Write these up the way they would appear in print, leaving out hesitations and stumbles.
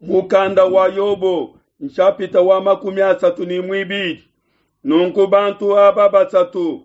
Mukanda wa Yobo nshapita wa 32. Nunku bantu aba basatu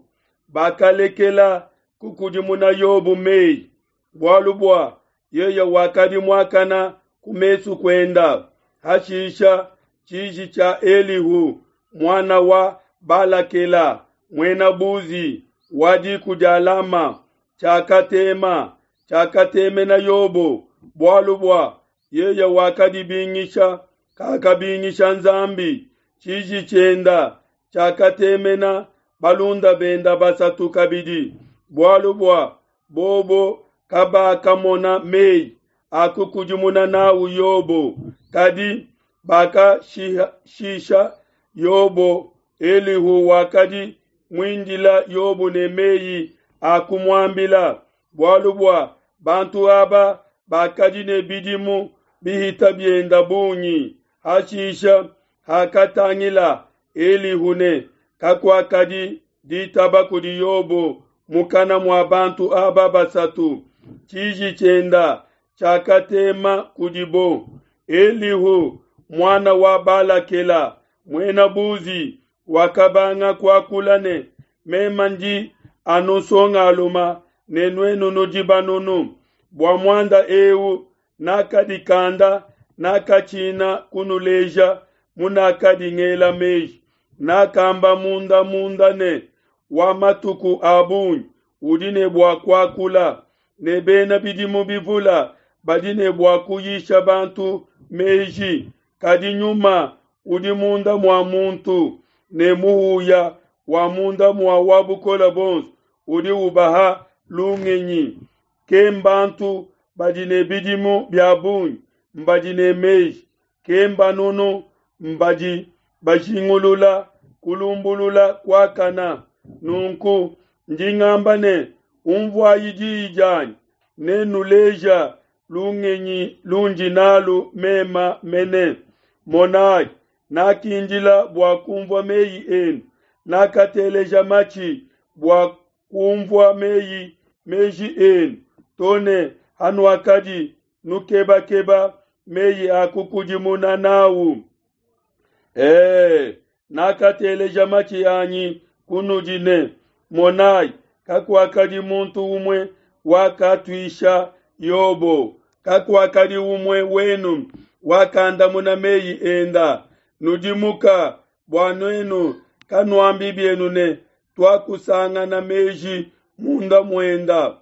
bakalekela kukudimuna Yobo meyi, bualu bua yeye wakadi muakana ku mesu kuenda. Hashisha tshiji tshia Elihu muana wa Balakela muena Buzi wa diku dia Lama tshiakatema, tshiakatemena Yobo, bualu bua yeye wakadibingisha, kakabingisha Nzambi. Tshiji tshienda tshiakatemena balunda benda basatu kabidi, bualu bua bobo kabakamona meyi a kukudimuna nawu Yobo, kadi bakashisha Yobo. Elihu wakadi muindila Yobo ne meyi a kumuambila, bualu bua bantu aba bakadi ne bidimu bihita bienda bungi. Hashisha hakatangila Elihu ne kakuakadi ditaba kudi Yobo mukana mua bantu aba basatu, tshiji tshienda tshiakatema kudibo. Elihu muana wa Balakela muena Buzi wakabanga kuakula ne, Mema ndi anu nsongaluma ne nuenu nudi banunu. Bua muanda eu nakadikanda, nakatshina kunuleja munakadi ngela meji. Nakamba munda munda ne, wa matuku a bungi udi ne bua kuakula, ne bena bidimu bivula badi ne bua kuyisha bantu meji. Kadi nyuma udi munda mua muntu ne muhuya wa munda mua wa bukole bonso udi ubaha lungenyi. Ke mbantu badi ne bidimu bia bungi mbadi ne meji, ke mbanunu mbadi bajingulula kulumbulula kuakana. Nunku ndi ngamba ne, umvuayi diyi dianyi, nenuleja lungenyi lundi nalu mema mene. Monayi, nakindila bua kumvua meyi enu, nakateleja matshi bua kumvua meyi meji enu, to ne hanuakadi nukebakeba meyi a kukudimuna nawu. Nakateleja matshi anyi kunudi ne, monayi, kakuakadi muntu umue wakatuisha Yobo, kakuakadi umue wenu wakandamuna meyi enda. Nudimuka bua nuenu kanuambi bienu ne, tuakusangana meji munda muenda.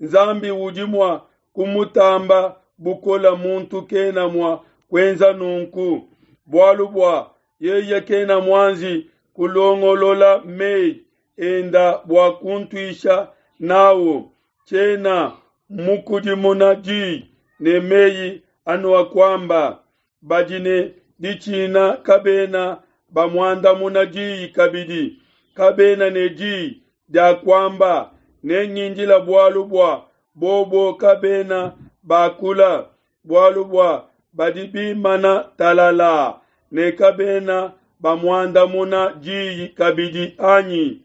Nzambi udi mua kumutamba bukola, muntu kena mua kuenza nunku, bualu bua yeye kena muanji kulongolola meyi enda bua kuntuisha nawu. Tshiena mukudimuna diyi ne meyi anuakuamba. Badi ne ditshina kabena bamuandamuna diyi kabidi, kabena ne diyi dia kuamba. Nengindila bualu bua bobo kabena bakula, bualu bua badi bimana talala ne kabena bamuandamuna diyi kabidi anyi?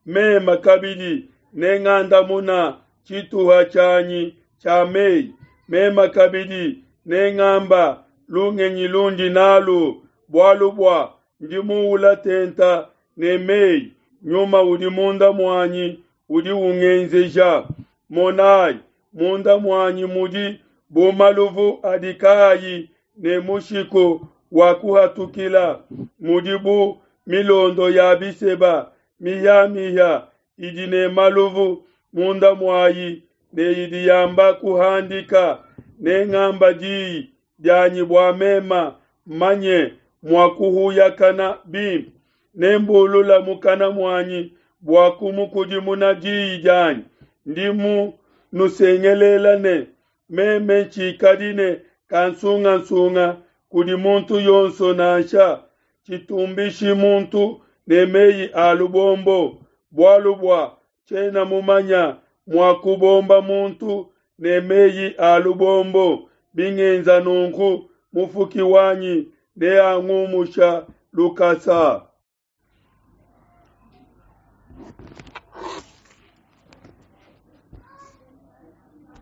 Mema kabidi nengandamuna tshituha tshianyi tshia meyi, mema kabidi nengamba lungenyi lundi nalu, bualu bua ndi muula tenta ne meyi, nyuma udi munda muanyi udi ungenzeja. Monayi, munda muanyi mudi bu maluvu adi kaayi ne mushiku wa kuhatukila, mudi bu milondo ya biseba mihiamihia idi ne maluvu munda muayi ne idi yamba kuhandika. Nengamba diyi dianyi bua mema manye mua kuhuyakana bimpe, nembulula mukana muanyi bua kumukudimuna diyi dianyi. Ndi munusengelela ne, meme ntshikadi ne kansungasunga kudi muntu yonso nansha, tshitumbishi muntu ne meyi a lubombo, bualu bua tshiena mumanya mua kubomba muntu ne meyi a lubombo. Bingenza nunku, mufuki wanyi neangumusha lukasa.